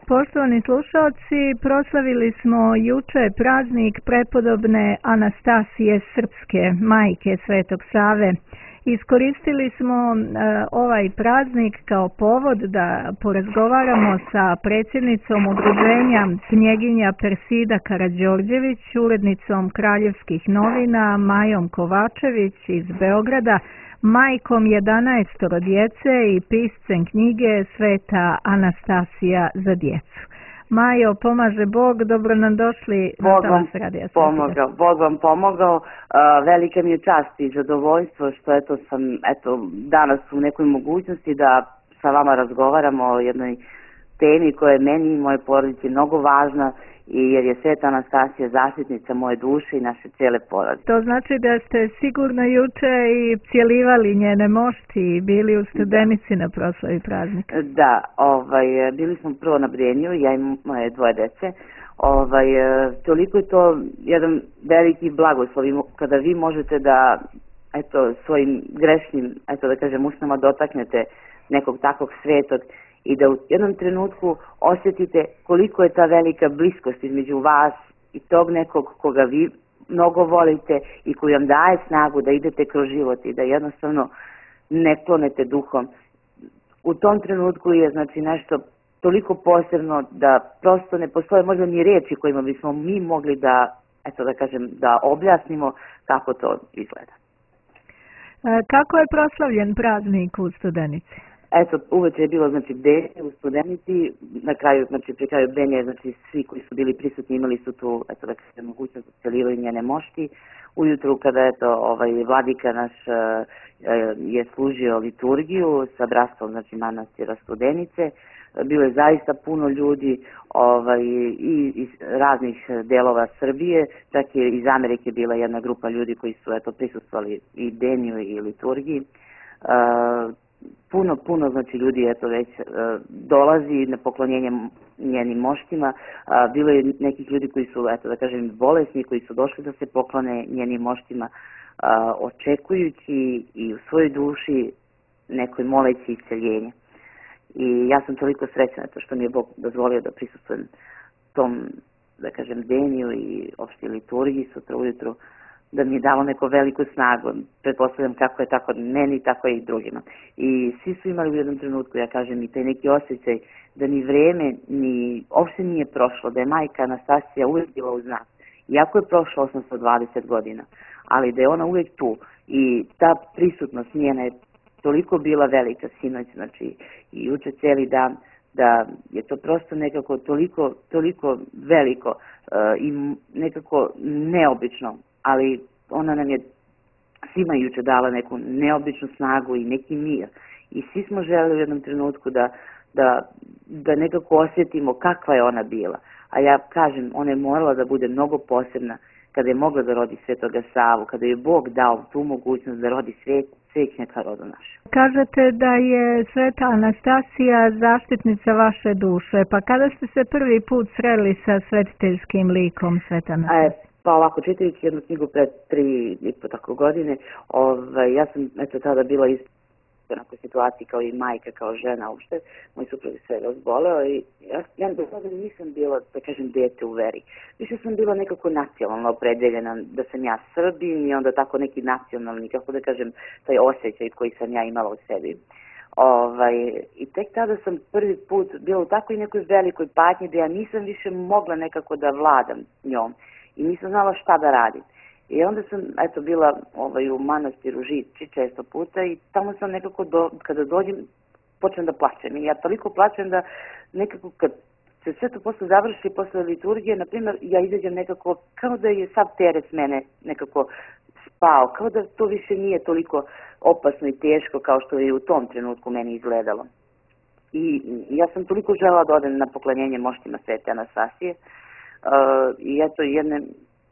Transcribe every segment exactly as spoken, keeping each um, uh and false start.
Poštovani slušalci, proslavili smo juče praznik prepodobne Anastasije Srpske, majke Svetog Save. Iskoristili smo e, ovaj praznik kao povod da porazgovaramo sa predsjednicom udruženja Knjeginja Persida Karađorđević, urednicom Kraljevskih novina Majom Kovačević iz Beograda, majkom jedanaestoro djece i piscem knjige Sveta Anastasija za djecu. Majo, pomaže Bog, dobro nam došli na Talas Radija Pomogao, Bog vam pomogao. Uh, velika mi je čast i zadovoljstvo što eto, sam eto, danas u nekoj mogućnosti da sa vama razgovaramo o jednoj temi koja je meni i moje porodici mnogo važna, i jer je Sveta Anastasija zaštitnica moje duše i naše cijele porodice. To znači da ste sigurno juče i cjelivali njene mošti i bili u Studenici na proslavi praznika. Da, ovaj, bili smo prvo na Brenju, ja i moje dvoje dece. Ovaj, toliko je to jedan veliki blagoslov kada vi možete da eto, svojim grešnim, eto da kažem, usnama dotaknete nekog takvog svetog i da u jednom trenutku osjetite koliko je ta velika bliskost između vas i tog nekog koga vi mnogo volite i koji vam daje snagu da idete kroz život i da jednostavno ne klonete duhom. U tom trenutku je znači nešto toliko posebno da prosto ne postoje možda ni riječi kojima bismo mi mogli da, eto da kažem, da objasnimo kako to izgleda. Kako je proslavljen praznik u Studenici? Eto, uveče je bilo, znači, bdenje u Studenici, na kraju, znači, pri kraju bdenja, znači, svi koji su bili prisutni imali su tu, eto, da kažem, mogućnost da celivaju njene mošti. Ujutru, kada, eto, ovaj, vladika naš je služio liturgiju sa bratstvom, znači, manastira Studenice, bilo je zaista puno ljudi ovaj, i iz raznih delova Srbije, čak je iz Amerike bila jedna grupa ljudi koji su, eto, prisustvovali i bdenju i liturgiji. Uh, Puno, puno znači ljudi eto već e, dolazi na poklonjenje njenim moštima. A, bilo je nekih ljudi koji su, eto da kažem, bolesni, koji su došli da se poklone njenim moštima, a, očekujući i u svojoj duši nekoj moleći isceljenje. I ja sam toliko srećna to što mi je Bog dozvolio da prisustvujem tom, da kažem, denju i opštoj liturgiji sutra ujutru, da mi je dalo neko veliku snagu. Pretpostavljam kako je tako meni, tako i drugima. I svi su imali u jednom trenutku, ja kažem, i taj neki osjećaj da ni vreme, ni uopšte nije prošlo, da je majka Anastasija uvijek bila uz nas. Iako je prošlo osamsto dvadeset godina, ali da je ona uvijek tu i ta prisutnost njena je toliko bila velika sinoć, znači i juče cijeli dan, da je to prosto nekako toliko, toliko veliko uh, i nekako neobično, ali ona nam je svima juče dala neku neobičnu snagu i neki mir. I svi smo želeli u jednom trenutku da, da, da nekako osjetimo kakva je ona bila. A ja kažem, ona je morala da bude mnogo posebna kada je mogla da rodi Svetoga Savu, kada je Bog dao tu mogućnost da rodi svet, svećnjaka rodu naše. Kažete da je Sveta Anastasija zaštitnica vaše duše, pa kada ste se prvi put sreli sa svetiteljskim likom Sveta Anastasija? Pa ovako, čitajući jednu knjigu pred tri i po tako godine, ovaj, ja sam eto tada bila isto u nekoj situaciji kao i majka, kao žena uopšte. Moj suprug je sve razboleo i ja, ja do tada nisam bila, da kažem, dete u veri. Više sam bila nekako nacionalno opredeljena da sam ja Srbin i onda tako neki nacionalni, kako da kažem, taj osjećaj koji sam ja imala u sebi. Ovaj, I tek tada sam prvi put bila u takvoj nekoj velikoj patnji da ja nisam više mogla nekako da vladam njom. I nisam znala šta da radim. I onda sam, eto, bila ovaj, u manastiru Žiči često puta i tamo sam nekako, do, kada dođem, počnem da plačem. I ja toliko plačem da nekako kad se sve to posle završi, posle liturgije, na primjer, ja izađem nekako, kao da je sav teret mene nekako spao, kao da to više nije toliko opasno i teško kao što je u tom trenutku meni izgledalo. I ja sam toliko želela da odem na poklonjenje moštima Svete Anastasije. Uh, i eto jedne,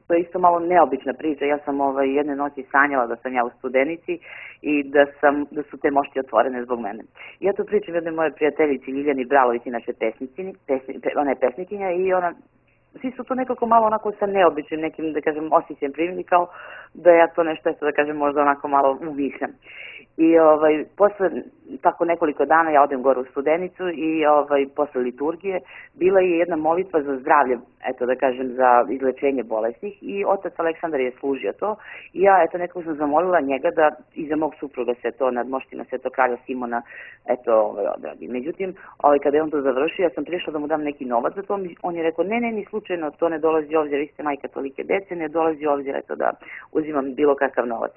to je isto malo neobična priča, ja sam ovaj, jedne noći sanjala da sam ja u Studenici i da, sam, da su te mošti otvorene zbog mene. I ja to pričam jednoj moje prijateljici Ljiljani Bralović, inače pesnicini, pesni, ona je pesnikinja i ona, svi su to nekako malo onako sa neobičnim nekim, da kažem, osjećajem primili kao da ja to nešto, eto da kažem, možda onako malo umišljam. I ovaj, posle tako nekoliko dana ja odem gore u Studenicu i ovaj, posle liturgije bila je jedna molitva za zdravlje, eto da kažem, za izlečenje bolesnih i otac Aleksandar je služio to i ja eto nekako sam zamolila njega da i za mog supruga se to nad moštima Svetog kralja Simona eto ovaj, odradi. Međutim, ovaj, kada je on to završio, ja sam prišla da mu dam neki novac za to, on je rekao ne, ne, ni slučajno, to ne dolazi ovdje, vi ste majka tolike dece, ne dolazi ovdje eto da uzimam bilo kakav novac.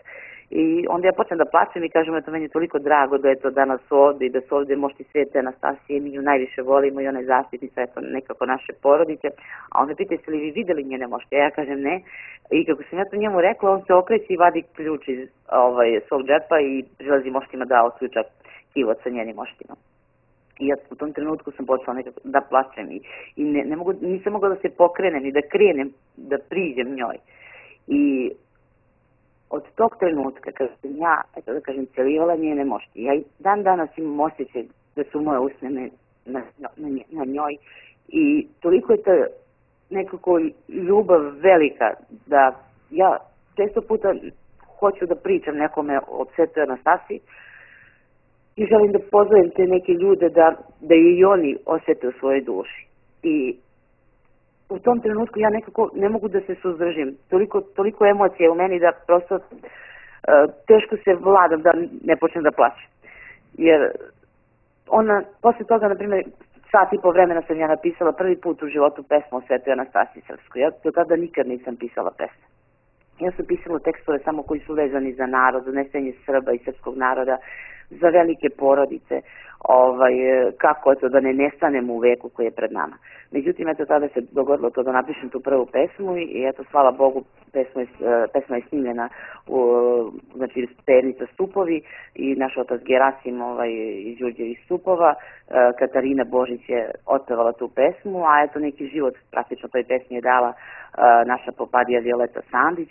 I onda ja počnem da plačem i kažem, eto, meni je toliko drago da je to danas ovde i da su ovde mošti Svete Anastasije, mi nju najviše volimo i ona je zaštitnica, eto, nekako naše porodice. A onda pita, jeste li vi videli njene mošti? A ja kažem ne. I kako sam ja to njemu rekla, on se okreće i vadi ključ iz ovaj, svog džepa i prilazi moštima da otključa kivot sa njenim moštima. I ja u tom trenutku sam počela nekako da plačem i, i ne, ne mogu, nisam mogla da se pokrenem i da krenem, da priđem njoj. I od tog trenutka, kada sam ja, eto da kažem, celivala njene mošti, ja i dan danas imam osjećaj da su moje usne na, na, na, na njoj i toliko je ta nekako ljubav velika da ja često puta hoću da pričam nekome o Svetoj Anastasiji i želim da pozovem te neke ljude da, da i oni osjete u svojoj duši. I u tom trenutku ja nekako ne mogu da se suzdržim. Toliko, toliko emocije u meni da prosto uh, teško se vladam da ne počnem da plaćem. Jer ona, posle toga, na primjer, sat i po vremena sam ja napisala prvi put u životu pesmu o Svetoj Anastasiji Srpskoj. Ja do tada nikad nisam pisala pesme. Ja sam pisala tekstove samo koji su vezani za narod, za nestenje Srba i srpskog naroda, za velike porodice, ovaj, kako eto da ne nestanemo u veku koji je pred nama. Međutim, eto tada se dogodilo to da napišem tu prvu pesmu i eto, hvala Bogu, pesma je, pesma je snimljena u, znači, Pernica Stupovi i naš otac Gerasim ovaj, iz Đurđevih Stupova, Katarina Božić je otpevala tu pesmu, a eto neki život praktično toj pesmi je dala naša popadija Violeta Sandić.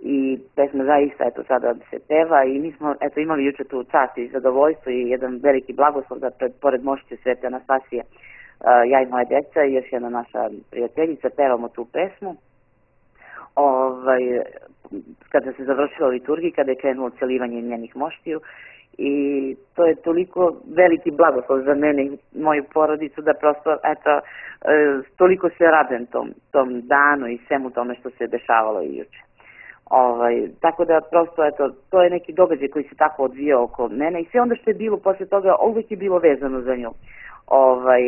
I pesma zaista eto sada se peva i mi smo eto imali juče tu čast i zadovoljstvo i jedan veliki blagoslov da pred, pored mošice Svete Anastasije uh, ja i moja deca i još jedna naša prijateljica pevamo tu pesmu. Ovaj, kada se završila liturgija, kada je krenulo celivanje njenih moštiju i to je toliko veliki blagoslov za mene i moju porodicu da prosto eto uh, toliko se radujem tom, tom danu i svemu tome što se dešavalo i juče. Ovaj, tako da prosto eto, to je neki događaj koji se tako odvijao oko mene i sve onda što je bilo posle toga uvijek je bilo vezano za nju. Ovaj,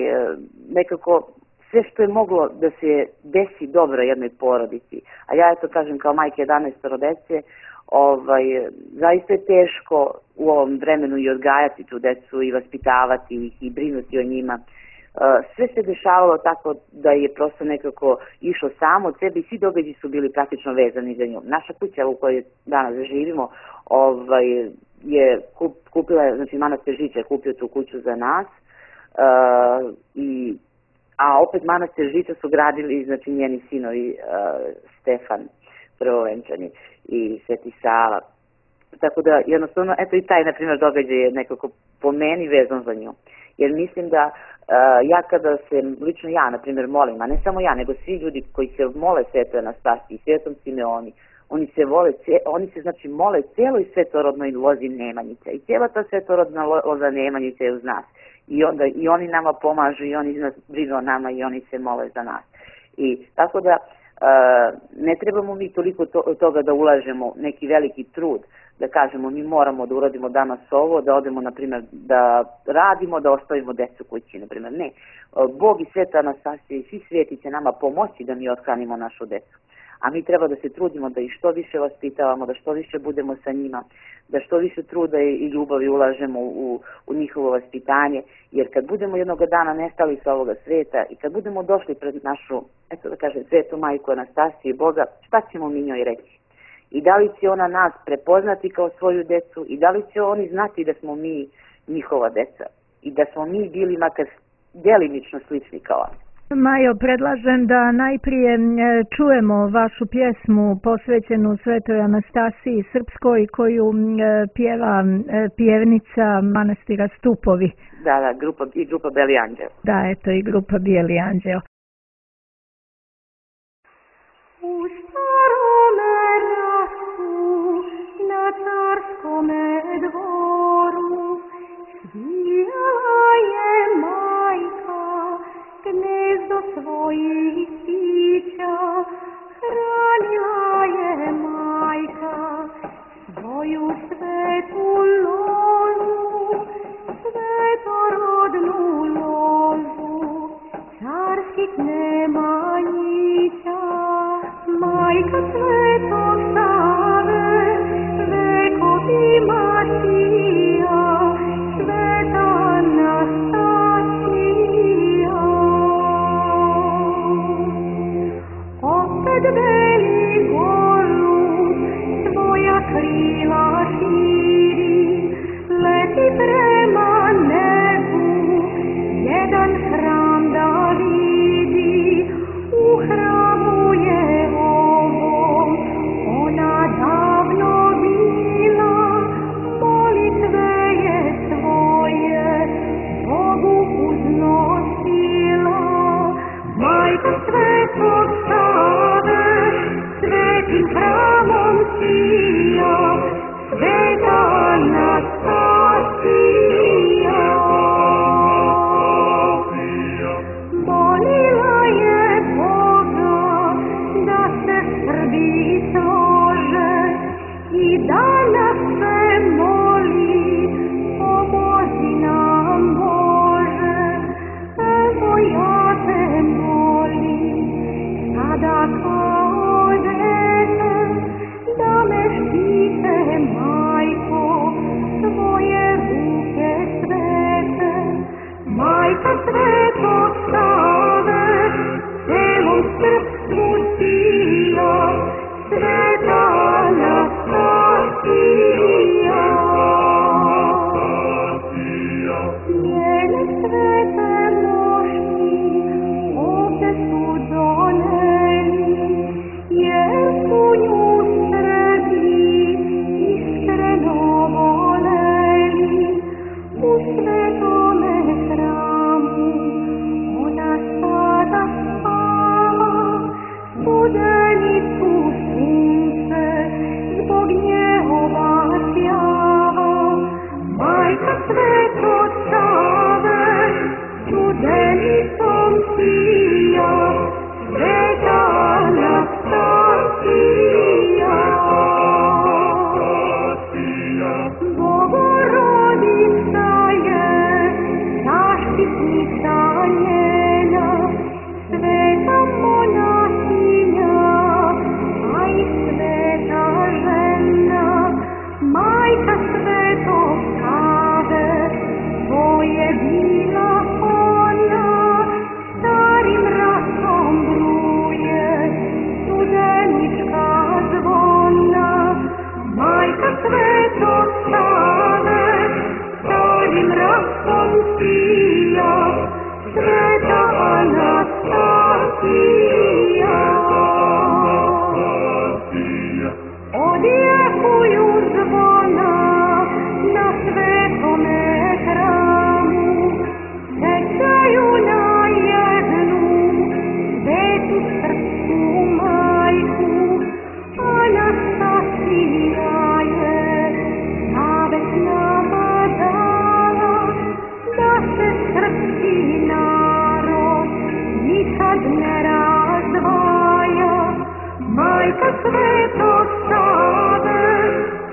nekako sve što je moglo da se desi dobro jednoj porodici, a ja eto kažem kao majke jedanaestoro dece, ovaj, zaista je teško u ovom vremenu i odgajati tu decu i vaspitavati ih i brinuti o njima. Sve se dešavalo tako da je prosto nekako išlo samo od sebe i svi događaji su bili praktično vezani za nju. Naša kuća u kojoj danas živimo ovaj, je kup, kupila, znači manastir Žiča je kupio tu kuću za nas, uh, i, a opet manastir Žiča su gradili znači njeni sinovi uh, Stefan prvovenčani i Sveti Sava. Tako da jednostavno, eto i taj na primjer događaj je nekako po meni vezan za nju. Jer mislim da uh, ja kada se, lično ja, na primjer, molim, a ne samo ja, nego svi ljudi koji se mole Svetoj Anastasiji, Svetom Simeoni, oni se vole, oni se znači mole cijeloj svetorodnoj lozi Nemanjice i cijela ta svetorodna loza Nemanjice je uz nas. I onda i oni nama pomažu i oni nas brinu o nama i oni se mole za nas. I tako da uh, ne trebamo mi toliko to, toga da ulažemo neki veliki trud, da kažemo mi moramo da uradimo danas ovo, da odemo, na primjer, da radimo, da ostavimo decu kući, na primjer. Ne. Bog i Sveta Anastasija i svi sveti će nama pomoći da mi othranimo našu decu. A mi treba da se trudimo da ih što više vaspitavamo, da što više budemo sa njima, da što više truda i ljubavi ulažemo u, u njihovo vaspitanje, jer kad budemo jednog dana nestali sa ovoga sveta i kad budemo došli pred našu, eto da kažem, Svetu Majku Anastasiju i Boga, šta ćemo mi njoj reći? I da li će ona nas prepoznati kao svoju decu i da li će oni znati da smo mi njihova deca i da smo mi bili makar djelimično slični kao oni. Majo, predlažem da najprije čujemo vašu pjesmu posvećenu Svetoj Anastasiji Srpskoj koju pjeva pjevnica manastira Stupovi. Da, da, grupa, i grupa Beli Anđeo. Da, eto i grupa Bijeli Anđeo. U starome rastu na carskome dvoru svojih sića, hranila je majka svoju svetu lozu, svetorodnu lozu, carskih nemanjića. Majka Svetog Save, vekovima sija, sveta Anastasija. Opet veli goru, svoja krila širi, leti prema nebu, jedan hram da vidi. U hramu je ovom ona davno bila, molitve je svoje Bogu uznosila. Majka Svetog Save, svetim hramom sija, sveta Anastasija. Molila je Boga da se Srbiji slože i danas se moli, pomozi nam Bože. Evo ja te molim, sada kao dete, da me štite, majko, tvoje ruke svete. Majka Svetog Save, celom srpstvu sija, sveta Anastasija. Njene svete mošti ovde su doneli, jer su nju Srbi iskreno voleli. U svetome hramu ona sada spava, studenicu sunce zbog njehova sjava. Majka Svetog Save, studenicom sija, sveta Anastasija. Bogorodica je zaštitnica njena, sveta monahinja, a i sveta žena. Majka Svetog Save, to je bila ona, starim rasom bruje studenička zvona. Majka Svetog Save, starim rasom sija, sveta Anastasija. Odjekuju zvona na svetome hramu, sećaju na jednu svetu srpsku majku. Anastasija je zavet nama dala, da se srpski narod nikad ne razdvaja. Majka Svetog Save,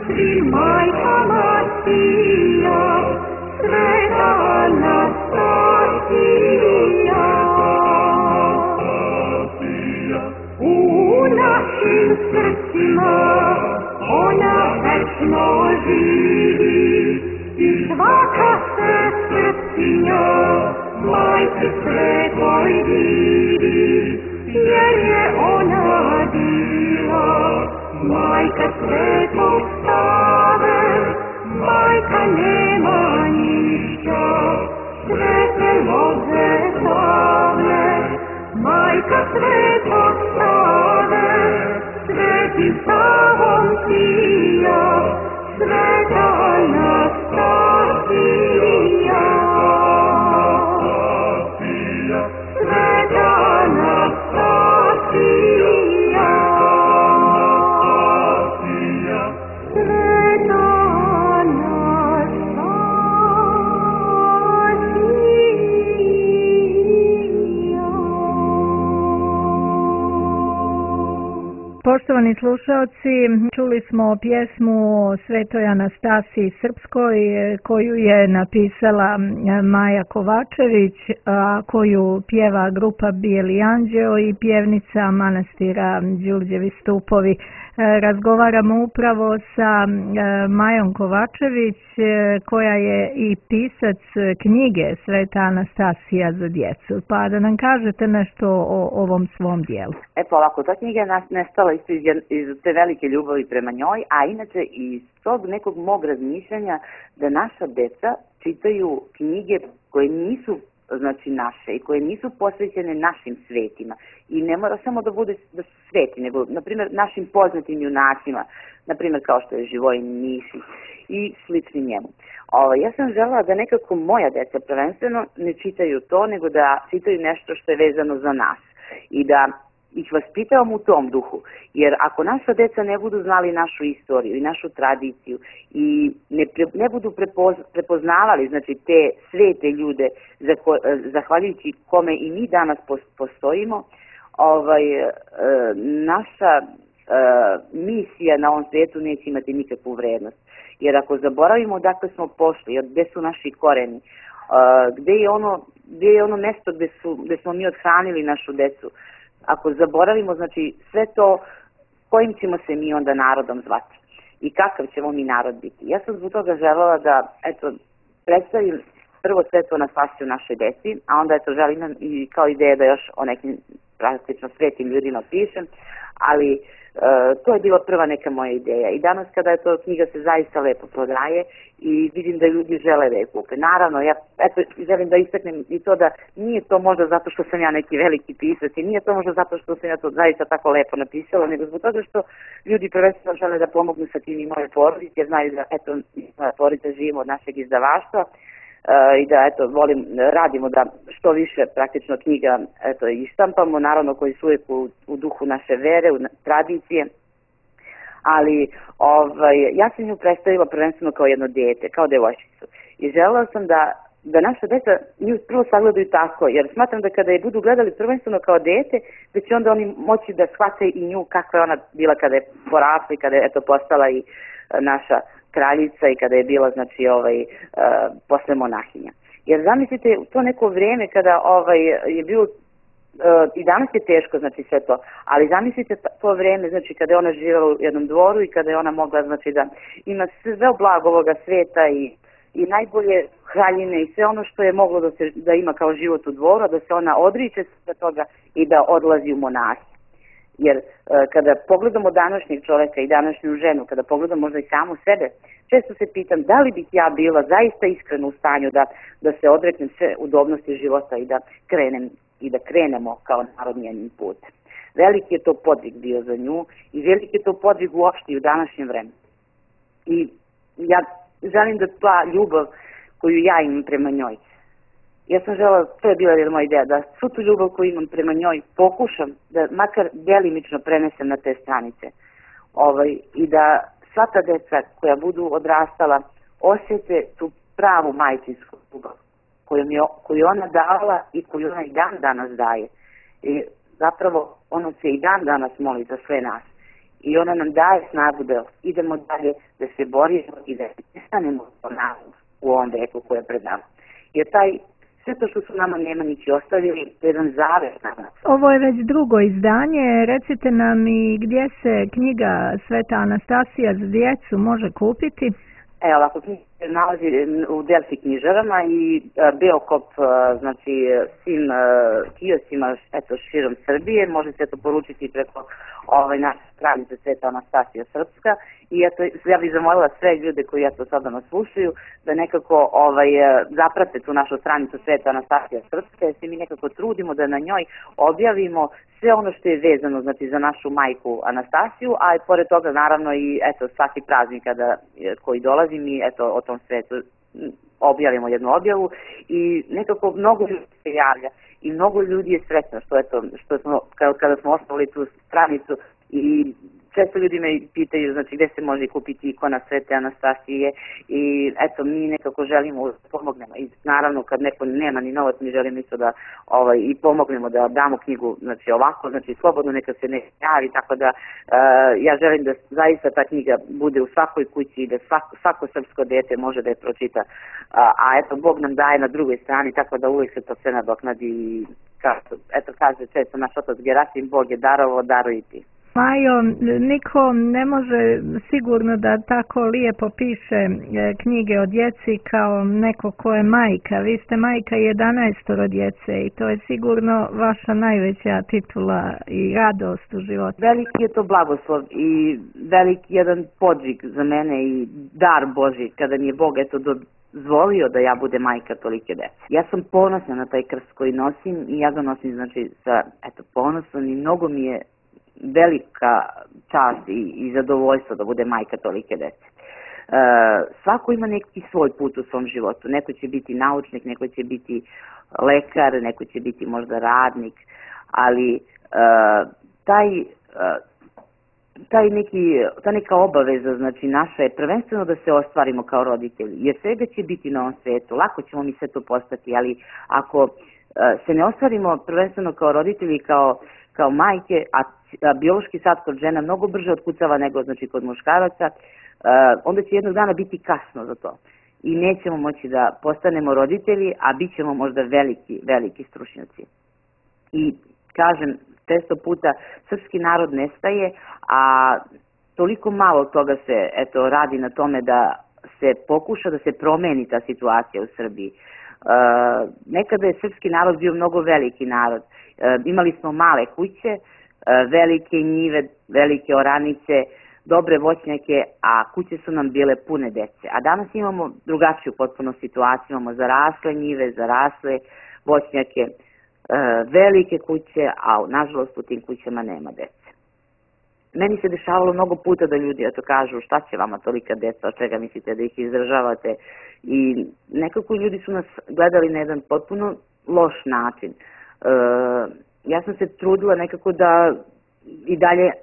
svim majkama sija, sveta Anastasija. U našim srcima ona večno živi i svaka se srpkinja majci Svetoj divi, jer je ona bila majka Svetog Save, majka nemanjića, svete loze slavne. Majka Svetog Save, svetim Savom sija, sveta Anastasija. Sveta Poštovani slušalci, čuli smo pjesmu o Svetoj Anastasiji Srpskoj koju je napisala Maja Kovačević, a koju pjeva grupa Bijeli anđeo i pjevnica manastira Đurđevi stupovi. Razgovaramo upravo sa Majom Kovačević koja je i pisac knjige Sveta Anastasija za djecu. Pa da nam kažete nešto o ovom svom dijelu. E pa ovako, ta knjiga je nestala isto iz, iz te velike ljubavi prema njoj, a inače iz tog nekog mog razmišljanja da naša deca čitaju knjige koje nisu znači naše i koje nisu posvećene našim svetima. I ne mora samo da bude da su sveti, nego, na primjer, našim poznatim junacima, na primjer kao što je Živojin Mišić i slični njemu. O, ja sam želela da nekako moja deca prvenstveno ne čitaju to, nego da čitaju nešto što je vezano za nas i da ih vaspitavam u tom duhu, jer ako naša deca ne budu znali našu istoriju i našu tradiciju i ne, pre, ne budu prepoz, prepoznavali znači te svete ljude za ko, zahvaljujući kome i mi danas postojimo, ovaj, e, naša e, misija na ovom svijetu neće imati nikakvu vrednost. Jer ako zaboravimo odakle smo pošli, gde su naši koreni, e, gde je ono, gde je ono mesto gde, su, gde smo mi odhranili našu decu, ako zaboravimo, znači, sve to, kojim ćemo se mi onda narodom zvati i kakav ćemo mi narod biti. Ja sam zbog toga želela da, eto, predstavim prvo Svetu Anastasiju našoj deci, a onda, eto, želim i kao ideja da još o nekim praktično svetim ljudima pišem, ali e, to je bila prva neka moja ideja. I danas kada je to knjiga se zaista lepo prodaje i vidim da ljudi žele da je kupe. Naravno, ja eto, želim da istaknem i to da nije to možda zato što sam ja neki veliki pisac i nije to možda zato što sam ja to zaista tako lepo napisala, nego zbog toga što ljudi prvenstveno žele da pomognu sa tim i moje porodice, jer znaju da eto, moja porodica živimo od našeg izdavaštva. Uh, i da eto volim radimo da što više praktično knjiga eto ištampamo, naravno koji su uvijek u, u duhu naše vere, u tradicije, ali ovaj ja sam nju predstavila prvenstveno kao jedno dete, kao devojčicu i želela sam da da naša deca nju prvo sagledaju tako, jer smatram da kada je budu gledali prvenstveno kao dete, da će onda oni moći da shvate i nju kakva je ona bila kada je porasla i kada je eto postala i naša kraljica i kada je bila znači ovaj uh, posle monahinja. Jer zamislite to neko vrijeme kada ovaj je bilo uh, i danas je teško znači sve to, ali zamislite to vrijeme znači kada je ona živjela u jednom dvoru i kada je ona mogla znači da ima sve blago ovoga sveta i i najbolje haljine i sve ono što je moglo da se da ima kao život u dvoru, da se ona odriče sve toga i da odlazi u monahi. Jer e, kada pogledamo današnjeg čovjeka i današnju ženu, kada pogledamo možda i samu sebe, često se pitam da li bih ja bila zaista iskreno u stanju da, da se odreknem sve udobnosti života i da krenem i da krenemo kao narod njenim putem. Veliki je to podvig bio za nju i veliki je to podvig uopšte u današnjem vremenu. I ja želim da ta ljubav koju ja imam prema njoj, ja sam žela, to je bila jedna moja ideja, da svu tu ljubav koju imam prema njoj pokušam da makar delimično prenesem na te stranice. Ovaj, I da sva ta deca koja budu odrastala osjete tu pravu majčinsku ljubav koju, mi, koju ona dala i koju ona i dan danas daje. I zapravo ona se i dan danas moli za sve nas. I ona nam daje snagu da idemo dalje, da se borimo i da ne stanemo u ovom veku koje je pred nama. Jer taj sve to što su nama Nemanjići ostavili, to je jedan zavet nama. Ovo je već drugo izdanje. Recite nam i gdje se knjiga Sveta Anastasija za djecu može kupiti? Evo, ovako, knjiga se nalazi u Delfi knjižarama i uh, Beokop, uh, znači, svim uh, kiosima, eto, širom Srbije. Možete to poručiti preko ovaj, naše stranice Sveta Anastasija Srpska. I eto, ja bih zamolila sve ljude koji eto sada nas slušaju da nekako ovaj, zaprate tu našu stranicu Sveta Anastasija Srpska, jer se mi nekako trudimo da na njoj objavimo sve ono što je vezano znači, za našu majku Anastasiju, a i pored toga naravno i eto, svaki praznik kada, koji dolazi mi eto, o tom svetu objavimo jednu objavu i nekako mnogo ljudi se javlja i mnogo ljudi je sretno što, eto, što smo, kada smo osnovali tu stranicu i često ljudi me pitaju, znači, gde se može kupiti ikona Svete Anastasije i eto, mi nekako želimo da pomognemo i naravno kad neko nema ni novac, mi želimo isto da ovaj, i pomognemo da damo knjigu, znači ovako, znači slobodno neka se ne javi, tako da uh, ja želim da zaista ta knjiga bude u svakoj kući i da svako, svako srpsko dete može da je pročita, uh, a eto, Bog nam daje na drugoj strani, tako da uvijek se to sve nadoknadi i kao, eto kaže često naš otac Gerasim, Bog je darovo, daruj i ti. Majo, niko ne može sigurno da tako lijepo piše knjige o djeci kao neko ko je majka. Vi ste majka jedanaestoro djece i to je sigurno vaša najveća titula i radost u životu. Veliki je to blagoslov i veliki jedan podvig za mene i dar Božji kada mi je Bog eto dozvolio da ja bude majka tolike dece. Ja sam ponosna na taj krst koji nosim i ja ga nosim znači sa eto ponosom i mnogo mi je velika čast i, i zadovoljstvo da bude majka tolike dece. E, svako ima neki svoj put u svom životu. Neko će biti naučnik, neko će biti lekar, neko će biti možda radnik, ali e, taj, e, taj neki, ta neka obaveza, znači naša je prvenstveno da se ostvarimo kao roditelji, jer svega će biti na ovom svetu, lako ćemo mi sve to postati, ali ako e, se ne ostvarimo prvenstveno kao roditelji, kao kao majke, a, a biološki sad kod žena mnogo brže otkucava nego znači kod muškaraca, uh, onda će jednog dana biti kasno za to. I nećemo moći da postanemo roditelji, a bit ćemo možda veliki, veliki stručnjaci. I kažem, često puta srpski narod nestaje, a toliko malo toga se eto, radi na tome da se pokuša da se promeni ta situacija u Srbiji. Uh, nekada je srpski narod bio mnogo veliki narod. Uh, imali smo male kuće, uh, velike njive, velike oranice, dobre voćnjake, a kuće su nam bile pune dece. A danas imamo drugačiju potpuno situaciju, imamo zarasle njive, zarasle voćnjake, uh, velike kuće, a nažalost u tim kućama nema dece. Meni se dešavalo mnogo puta da ljudi eto kažu šta će vama tolika deca, od čega mislite da ih izdržavate, i nekako ljudi su nas gledali na jedan potpuno loš način. E, ja sam se trudila nekako da i dalje e,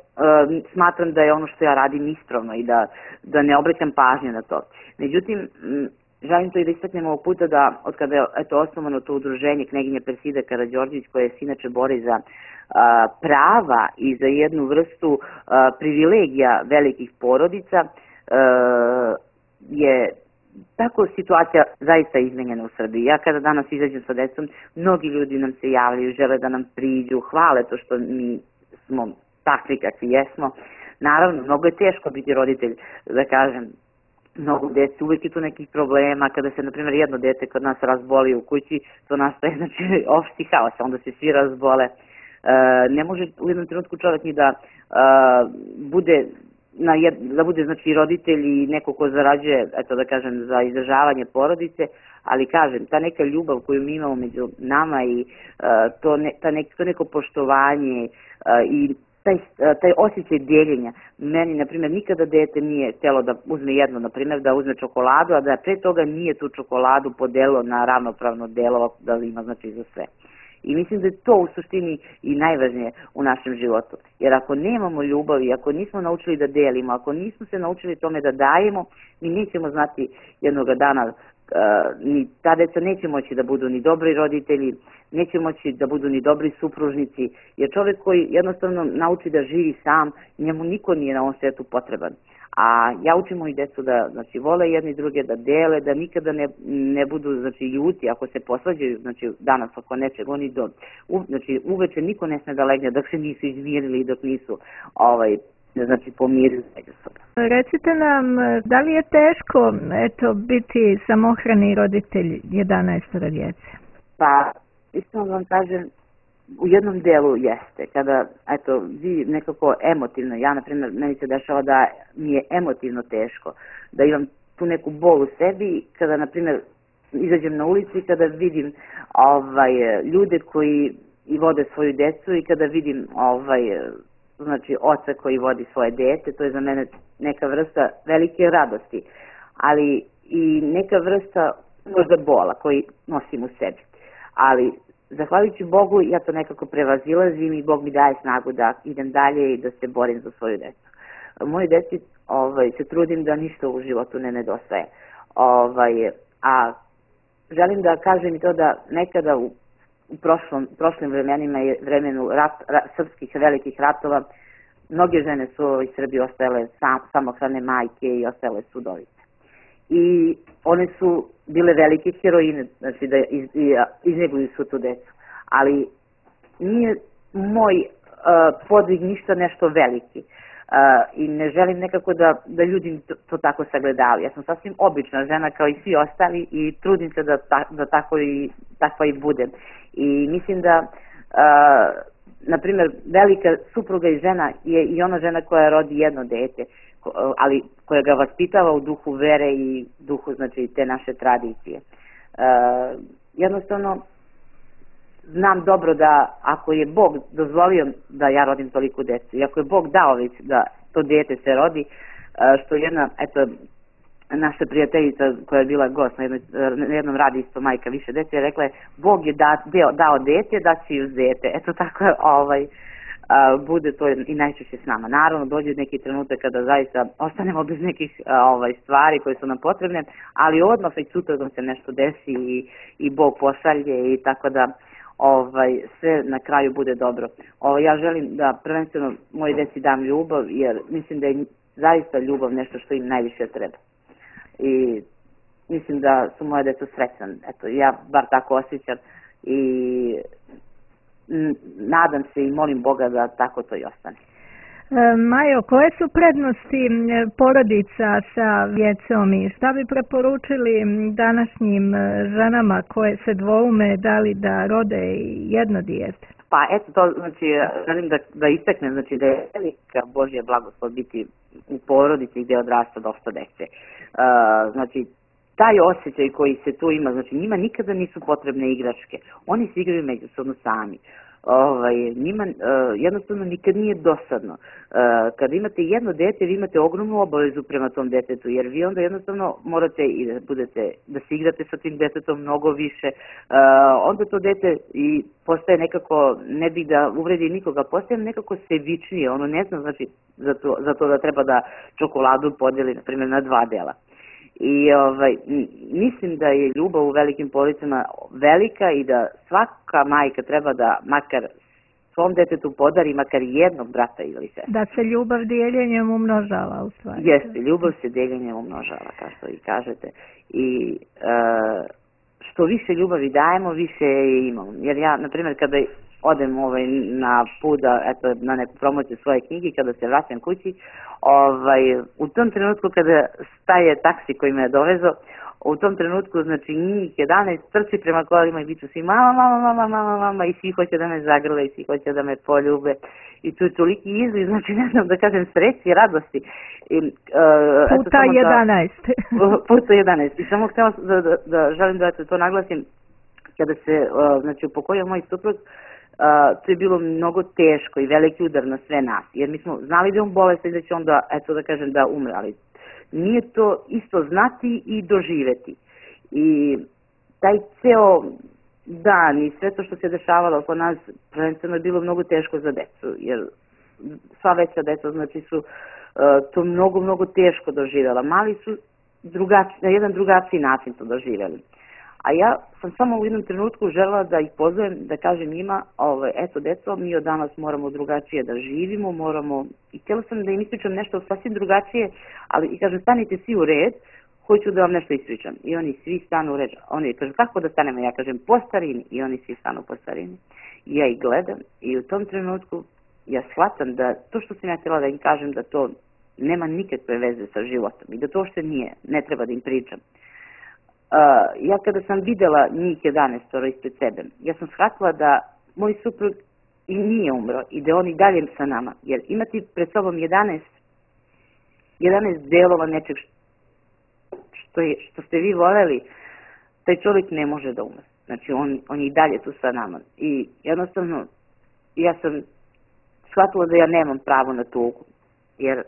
smatram da je ono što ja radim ispravno i da, da ne obraćam pažnju na to. Međutim, želim to i da istaknem ovog puta da od kada je eto, osnovano to udruženje Kneginja Persida Karađorđević, koje se inače bori za a, prava i za jednu vrstu a, privilegija velikih porodica, a, je tako situacija zaista izmenjena u Srbiji. Ja kada danas izađem sa decom, mnogi ljudi nam se javljaju, žele da nam priđu, hvale to što mi smo takvi kakvi jesmo. Naravno, mnogo je teško biti roditelj, da kažem, mnogo dece, uvijek je tu nekih problema, kada se, na primjer, jedno dete kod nas razboli u kući, to nastaje, znači, opšti haos, onda se svi razbole. E, ne može u jednom trenutku čovjek ni da e, bude, na jed, da bude, znači, roditelj i neko ko zarađuje, eto da kažem, za izdržavanje porodice, ali kažem, ta neka ljubav koju mi imamo među nama i e, to, ne, ta nek, to neko poštovanje e, i Taj, taj osjećaj dijeljenja. Meni, na primjer, nikada dete nije htjelo da uzme jedno, na primjer, da uzme čokoladu, a da pre toga nije tu čokoladu podelilo na ravnopravno delo, da li ima, znači, za sve. I mislim da je to u suštini i najvažnije u našem životu. Jer ako nemamo ljubavi, ako nismo naučili da delimo, ako nismo se naučili tome da dajemo, mi nećemo znati jednoga dana, Uh, ni ta deca neće moći da budu ni dobri roditelji, neće moći da budu ni dobri supružnici, jer čovjek koji jednostavno nauči da živi sam, njemu niko nije na ovom svijetu potreban. A ja učim moji decu da, znači, vole jedni druge, da dele, da nikada ne, ne budu, znači, ljuti ako se posvađaju, znači, danas oko nečeg, oni do, u, znači, uveče niko ne sme da legne dok se nisu izmirili i dok nisu, ovaj, znači, pomirili međusobno. Recite nam, da li je teško, eto, biti samohrani roditelj jedanaestoro djece? Pa, iskreno vam kažem, u jednom delu jeste. Kada, eto, vi nekako emotivno, ja, na primjer, meni se dešava da mi je emotivno teško, da imam tu neku bol u sebi, kada, na primjer, izađem na ulici i kada vidim ovaj, ljude koji i vode svoju decu i kada vidim ovaj, znači, oca koji vodi svoje dete, to je za mene neka vrsta velike radosti, ali i neka vrsta možda bola koji nosim u sebi. Ali, zahvaljujući Bogu, ja to nekako prevazilazim i Bog mi daje snagu da idem dalje i da se borim za svoju decu. moje deci ovaj, se trudim da ništa u životu ne nedostaje. Ovaj, a želim da kažem i to da nekada u, u prošlom, prošlim vremenima i vremenu rat, rat, srpskih velikih ratova, mnoge žene su iz Srbije ostajale sam, samohrane majke i ostajale su udovice. I one su bile velike heroine, znači da iz, izneguju su tu decu. Ali nije moj uh, podvig ništa nešto veliki. Uh, I ne želim nekako da, da ljudi to, to tako sagledavaju. Ja sam sasvim obična žena kao i svi ostali i trudim se da, ta, da tako i, takva i budem. I mislim da, uh, na primjer, velika supruga i žena je i ona žena koja rodi jedno dete, ali koja ga vaspitava u duhu vere i duhu, znači, te naše tradicije. Uh, jednostavno, znam dobro da ako je Bog dozvolio da ja rodim toliko decu i ako je Bog dao već da to dete se rodi, što jedna, eto, naša prijateljica koja je bila gost na, jednoj, na jednom radijstvu Majka više dece je rekla je Bog je da, deo, dao dete, da će uz dete. Eto tako ovaj, a, bude to i najčešće s nama. Naravno dođe neki trenutak kada zaista ostanemo bez nekih a, ovaj, stvari koje su nam potrebne, ali odmah i sutra da se nešto desi i, i Bog pošalje i tako da ovaj, sve na kraju bude dobro. Ovaj, ja želim da prvenstveno moje deci dam ljubav, jer mislim da je zaista ljubav nešto što im najviše treba. I mislim da su moje deco srećan. Eto, ja bar tako osjećam i nadam se i molim Boga da tako to i ostane. Majo, koje su prednosti porodica sa djecom i šta bi preporučili današnjim ženama koje se dvoume da li da rode jedno dijete? Pa eto to, znači, želim da, da istaknem, znači da je velika Božja blagoslov biti u porodici gdje odrasta dosta dece. Uh, znači, taj osjećaj koji se tu ima, znači njima nikada nisu potrebne igračke, oni se igraju međusobno sami. Ovaj, njima uh, jednostavno nikad nije dosadno. Uh, kada imate jedno dete, vi imate ogromnu obavezu prema tom detetu, jer vi onda jednostavno morate i da budete, da se igrate sa tim detetom mnogo više. Uh, onda to dete i postaje nekako, ne bih da uvredi nikoga, postaje nekako sebičnije, ono ne zna znači za to, za to da treba da čokoladu podeli, na primjer, na dva dela. I ovaj, mislim da je ljubav u velikim porodicama velika i da svaka majka treba da makar svom detetu podari makar jednog brata ili sestra. Da se ljubav dijeljenjem umnožava u stvari. Jeste, ljubav se dijeljenjem umnožava, kao što i kažete. I e, što više ljubavi dajemo, više je imamo. Jer ja, na primjer, kada odem ovaj, na put da, eto, na neku promociju svoje knjige, kada se vraćam kući, ovaj, u tom trenutku kada staje taksi koji me je dovezo, u tom trenutku, znači, njih jedanaest trči prema kolima i biću svi mama, mama, mama, mama, mama i svi hoće da me zagrle i svi hoće da me poljube. I tu je toliki izliv, znači, ne znam da kažem, sreći i radosti. I, uh, puta jedanaest. Da, puta jedanaest. I samo htjela da, da, da želim da to naglasim, kada se, uh, znači, upokojio moj suprug, Uh, to je bilo mnogo teško i veliki udar na sve nas, jer mi smo znali da je on bolestan i da će onda, eto da kažem, da umre, ali nije to isto znati i doživeti. I taj ceo dan i sve to što se dešavalo oko nas, prvenstveno je bilo mnogo teško za decu, jer sva veća deca, znači, su uh, to mnogo, mnogo teško doživjela. Mali su drugači, na jedan drugačiji način to doživjeli. A ja sam samo u jednom trenutku želela da ih pozovem, da kažem njima, ovaj, eto deco, mi od danas moramo drugačije da živimo, moramo, i htjela sam da im ispričam nešto sasvim drugačije, ali i kažem, stanite svi u red, hoću da vam nešto ispričam. I oni svi stanu u red, oni kažu, kako da stanemo, ja kažem, po starini, i oni svi stanu po starini. I ja ih gledam i u tom trenutku ja shvatam da to što sam ja htjela da im kažem, da to nema nikakve veze sa životom i da to što nije, ne treba da im pričam. Uh, ja kada sam videla njih jedanaest ispred sebe, ja sam shvatila da moj suprug i nije umro i da on i dalje sa nama. Jer imati pred sobom jedanaest, jedanaest delova nečeg što, je, što ste vi voljeli, taj čovjek ne može da umre. Znači on, on je i dalje tu sa nama. I jednostavno ja sam shvatila da ja nemam pravo na tugu. Jer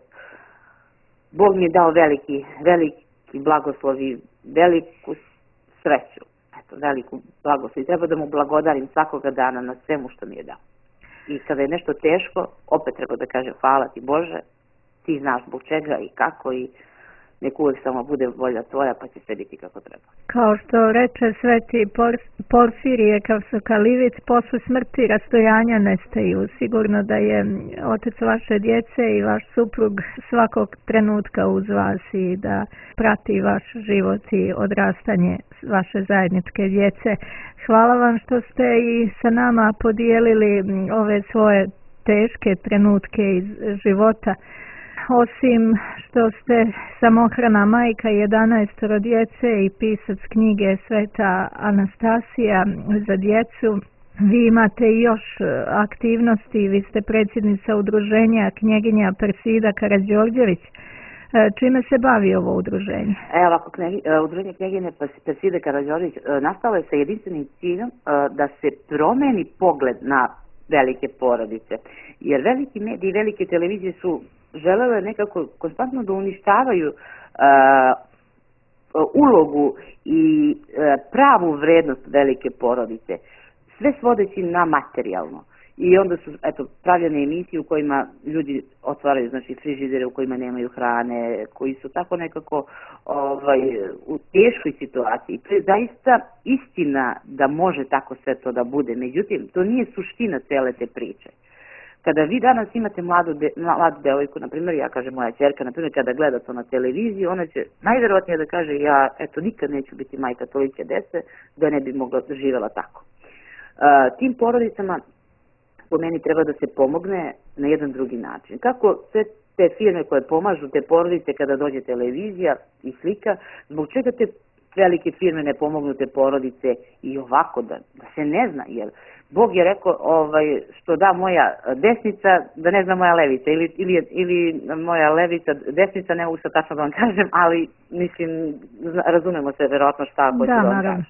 Bog mi je dao veliki, veliki blagoslov i veliku sreću, eto, veliku blagoslov i treba da mu blagodarim svakoga dana na svemu što mi je dao. I kada je nešto teško, opet treba da kažem hvala ti Bože ti znaš zbog čega i kako i nek uvek samo bude volja tvoja pa će sve biti kako treba. Kao što reče sveti Porfirije Kavsokalivic, posle smrti rastojanja nestaju. Sigurno da je otac vaše djece i vaš suprug svakog trenutka uz vas i da prati vaš život i odrastanje vaše zajedničke djece. Hvala vam što ste i sa nama podijelili ove svoje teške trenutke iz života. Osim što ste samohrana majka jedanaestoro djece i pisac knjige Sveta Anastasija za djecu, vi imate i još aktivnosti, vi ste predsjednica udruženja Knjeginja Persida Karađorđević. Čime se bavi ovo udruženje? Evo ovako, udruženje Knjeginje Persida Karađorđević nastalo je sa jedinstvenim ciljem da se promeni pogled na velike porodice. Jer veliki mediji i velike televizije su želele nekako konstantno da uništavaju uh, ulogu i uh, pravu vrednost velike porodice, sve svodeći na materijalno. I onda su eto, pravljene emisije u kojima ljudi otvaraju znači, frižidere u kojima nemaju hrane, koji su tako nekako ovaj, u teškoj situaciji. To je zaista istina da može tako sve to da bude, međutim, to nije suština cele te priče. Kada vi danas imate mladu, de, mladu devojku, na primjer, ja kažem moja ćerka, na primjer, kada gleda to na televiziji, ona će najverovatnije da kaže ja, eto, nikad neću biti majka tolike dece, da ne bi mogla živjela tako. Uh, tim porodicama, po meni, treba da se pomogne na jedan drugi način. Kako sve te firme koje pomažu te porodice kada dođe televizija i slika, zbog čega te velike firme ne pomognu te porodice i ovako da, da se ne zna, jer Bog je rekao ovaj, što da moja desnica, da ne zna moja levica, ili, ili, ili moja levica, desnica, ne mogu sad tačno da vam kažem, ali mislim, razumemo se verovatno šta hoću da, da vam kažem.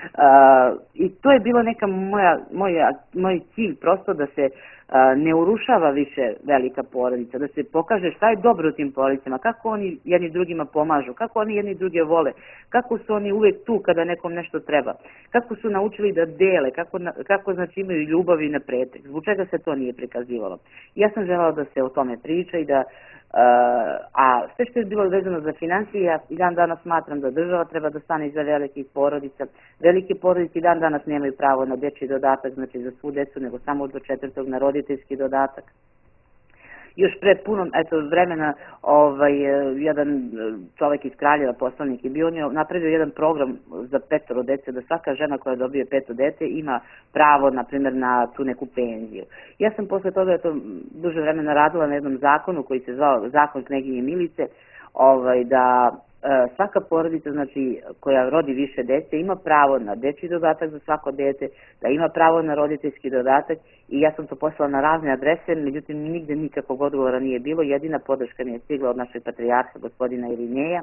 Uh, I to je bilo neka moja, moja, moj cilj, prosto da se uh, ne urušava više velika porodica, da se pokaže šta je dobro u tim porodicama, kako oni jedni drugima pomažu, kako oni jedni druge vole, kako su oni uvek tu kada nekom nešto treba, kako su naučili da dele, kako, kako znači imaju ljubav i na pretek, zbog čega se to nije prikazivalo. Ja sam želala da se o tome priča i da Uh, a sve što je bilo vezano za financije, ja i dan danas smatram da država treba da stane iza velikih porodica. Velike porodice i dan danas nemaju pravo na dečji dodatak, znači za svu decu, nego samo do četvrtog na roditeljski dodatak. Još pre puno eto, vremena ovaj, jedan čovjek iz Kraljeva, poslanik, je bio, on je napravio jedan program za petoro dece, da svaka žena koja dobije peto dete ima pravo, na primjer, na tu neku penziju. Ja sam posle toga eto, duže vremena radila na jednom zakonu koji se zvao Zakon Knjeginje Milice, ovaj, da svaka porodica, znači, koja rodi više dece, ima pravo na dečji dodatak za svako dete, da ima pravo na roditeljski dodatak i ja sam to poslala na razne adrese, međutim nigde nikakvog odgovora nije bilo, jedina podrška mi je stigla od našeg patrijarha, gospodina Irineja,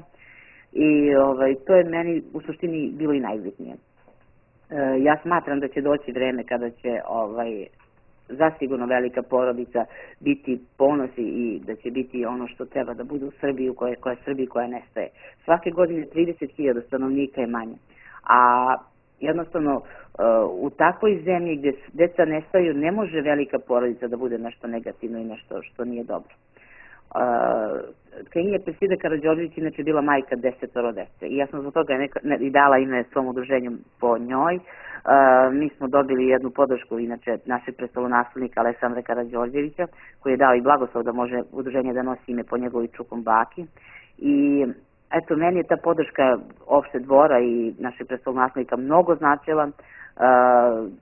i ovaj, to je meni u suštini bilo i najbitnije. E, ja smatram da će doći vreme kada će ovaj, zasigurno velika porodica biti ponosi i da će biti ono što treba da bude u Srbiji, koja, koja je Srbiji koja nestaje. Svake godine trideset hiljada stanovnika je manje, a jednostavno u takvoj zemlji gdje deca nestaju ne može velika porodica da bude nešto negativno i nešto što nije dobro. Knjeginja Persida Karađorđević inače bila majka desetoro dece i ja sam zbog toga neka, ne, i dala ime svom udruženju po njoj. Uh, mi smo dobili jednu podršku inače našeg prestolonaslednika Aleksandra Karađorđevića, koji je dao i blagoslov da može udruženje da nosi ime po njegovoj čukom baki. I eto, meni je ta podrška opšte dvora i našeg prestolonaslednika mnogo značila. Uh,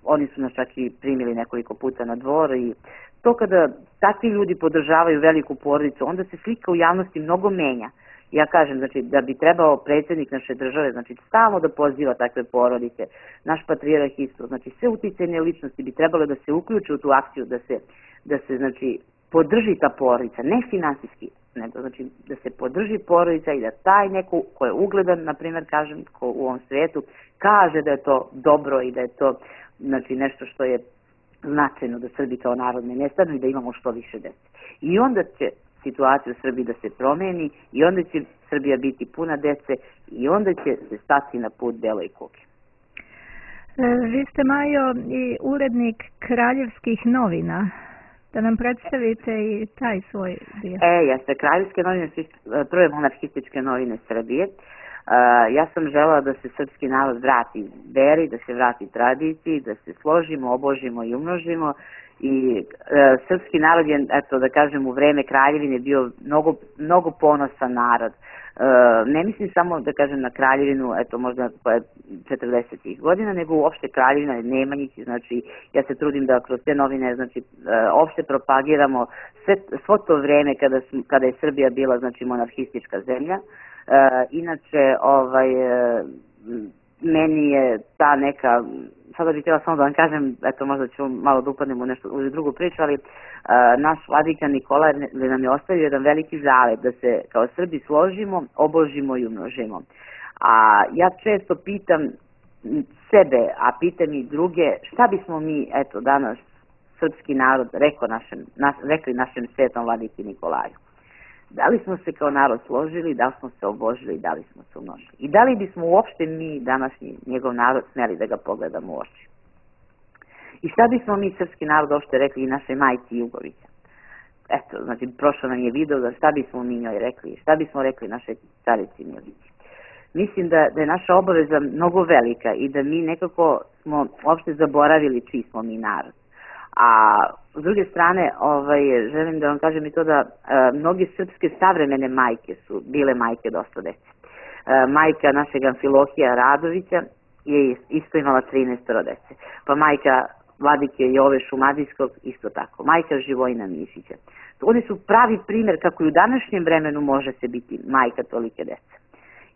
oni su nas čak i primili nekoliko puta na dvor i to kada takvi ljudi podržavaju veliku porodicu, onda se slika u javnosti mnogo menja. Ja kažem, znači, da bi trebao predsjednik naše države, znači, stalno da poziva takve porodice, naš patrijarh isto, znači, sve uticajne ličnosti bi trebalo da se uključe u tu akciju, da se, da se znači, podrži ta porodica, ne finansijski, nego, znači, da se podrži porodica i da taj neko ko je ugledan, na primjer, kažem, ko u ovom svijetu, kaže da je to dobro i da je to, znači, nešto što je značajno da Srbi kao narod ne nestanu i da imamo što više dece. I onda će situacija u Srbiji da se promeni i onda će Srbija biti puna dece i onda će se stati na put beloj kugi. Vi ste, Majo, i urednik Kraljevskih novina. Da nam predstavite i taj svoj dio. E, jeste, Kraljevske novine su prve monarhističke novine Srbije. Uh, ja sam želela da se srpski narod vrati veri, da se vrati tradiciji, da se složimo, obožimo i umnožimo. I uh, srpski narod je, eto da kažem, u vreme kraljevine bio mnogo, mnogo ponosan narod. Uh, ne mislim samo da kažem na kraljevinu, eto možda četrdesetih godina, nego uopšte kraljevina Nemanjić, znači ja se trudim da kroz te novine, znači uh, opšte propagiramo sve, svo to vreme kada, kada je Srbija bila, znači, monarhistička zemlja. Uh, inače, ovaj, uh, meni je ta neka, sada bih htjela samo da vam kažem, eto možda ću malo da upadnem u nešto, u drugu priču, ali uh, naš vladika Nikolaj nam je ostavio jedan veliki zavet da se kao Srbi složimo, obožimo i umnožimo. A ja često pitam sebe, a pitam i druge, šta bismo mi, eto danas, srpski narod rekao našem, nas, rekli našem svetom vladiki Nikolaju? Da li smo se kao narod složili, da li smo se obožili, da li smo se umnožili? I da li bismo uopšte mi, današnji njegov narod, smeli da ga pogledamo u oči? I šta bismo mi, srpski narod, uopšte rekli i našoj majci Jugovića? Eto, znači, prošlo nam je video da šta bismo mi njoj rekli, šta bismo rekli našoj carici Milici. Mislim da, da je naša obaveza mnogo velika i da mi nekako smo uopšte zaboravili čiji smo mi narod. A s druge strane, ovaj, želim da vam kažem i to da e, mnoge srpske savremene majke su bile majke dosta dece. E, majka našeg Amfilohija Radovića je isto imala trinaest dece. Pa majka vladike Jove Šumadijskog isto tako. Majka Živojina Mišića. Oni su pravi primjer kako i u današnjem vremenu može se biti majka tolike dece.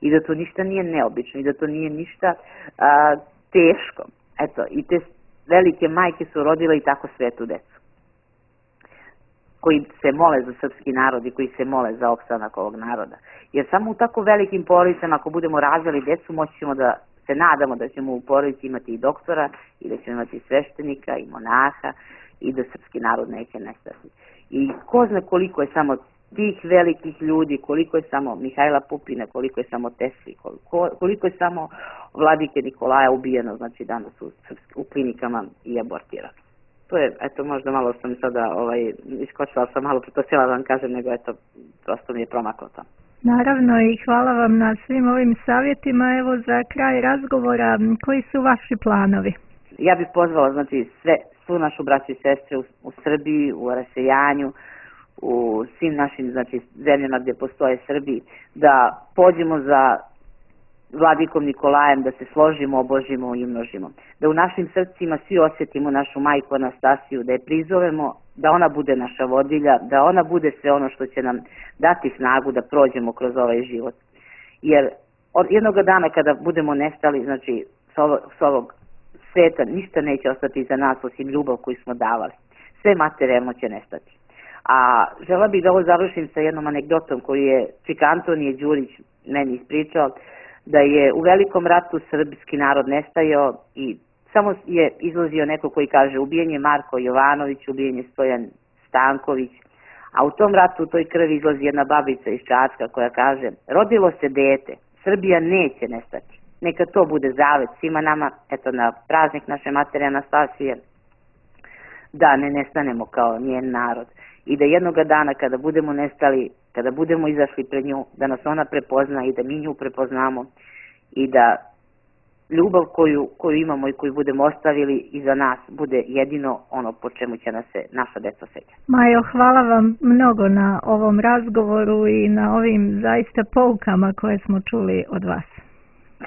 I da to ništa nije neobično i da to nije ništa a, teško. Eto, i te velike majke su rodile i tako svetu decu, koji se mole za srpski narod i koji se mole za opstanak ovog naroda. Jer samo u tako velikim porodicama, ako budemo rađali decu, moći ćemo da se nadamo da ćemo u porodici imati i doktora, i da ćemo imati i sveštenika, i monaha, i da srpski narod neće nestati. I ko zna koliko je samo tih velikih ljudi, koliko je samo Mihajla Pupina, koliko je samo Tesli, koliko, koliko je samo vladike Nikolaja ubijeno, znači danas u, u klinikama i abortirano. To je, eto, možda malo što mi sada ovaj, iskočila sam malo, to htjela da vam kažem, nego eto, prosto mi je promaklo to. Naravno i hvala vam na svim ovim savjetima. Evo za kraj razgovora, koji su vaši planovi? Ja bih pozvala, znači, sve, svu našu braću i sestre u, u Srbiji, u rasejanju, u svim našim, znači, zemljama gdje postoje Srbi, da pođemo za vladikom Nikolajem, da se složimo, obožimo i umnožimo. Da u našim srcima svi osjetimo našu majku Anastasiju, da je prizovemo, da ona bude naša vodilja, da ona bude sve ono što će nam dati snagu da prođemo kroz ovaj život. Jer od jednog dana kada budemo nestali, znači, s ovog, s ovog sveta, ništa neće ostati za nas osim ljubav koju smo davali. Sve materijalno će nestati. A žela bih da ovo završim sa jednom anegdotom koju je Čika Antonije Đurić meni ispričao, da je u velikom ratu srpski narod nestajao i samo je izlazio neko koji kaže ubijen je Marko Jovanović, ubijen je Stojan Stanković, a u tom ratu u toj krvi izlazi jedna babica iz Čačka koja kaže rodilo se dete, Srbija neće nestati. Neka to bude zavet svima nama, eto na praznik naše matere Anastasije, da ne nestanemo kao njen narod. I da jednoga dana kada budemo nestali, kada budemo izašli pred nju, da nas ona prepozna i da mi nju prepoznamo i da ljubav koju, koju imamo i koju budemo ostavili iza nas bude jedino ono po čemu će nas se naša deca sećati. Majo, hvala vam mnogo na ovom razgovoru i na ovim zaista poukama koje smo čuli od vas.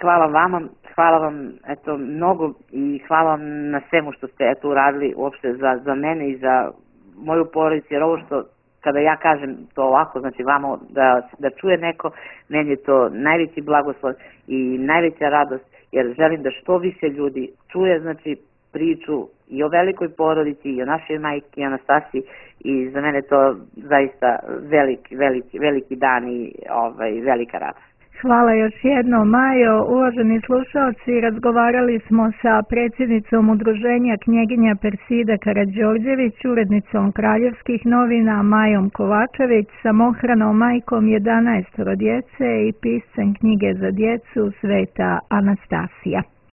Hvala vama, hvala vam eto mnogo i hvala vam na svemu što ste eto uradili uopšte za, za mene i za moju porodicu, jer ovo što kada ja kažem to ovako, znači vama da, da čuje neko, meni je to najveći blagoslov i najveća radost, jer želim da što više ljudi čuje, znači, priču i o velikoj porodici i o našoj majki Anastasiji i za mene to zaista veliki, veliki, veliki dan i ovaj, velika radost. Hvala još jednom, Majo. Uvaženi slušalci, razgovarali smo sa predsjednicom udruženja knjeginja Persida Karađorđević, urednicom Kraljevskih novina Majom Kovačević, samohranom majkom jedanaestoro djece i piscem knjige za djecu Sveta Anastasija.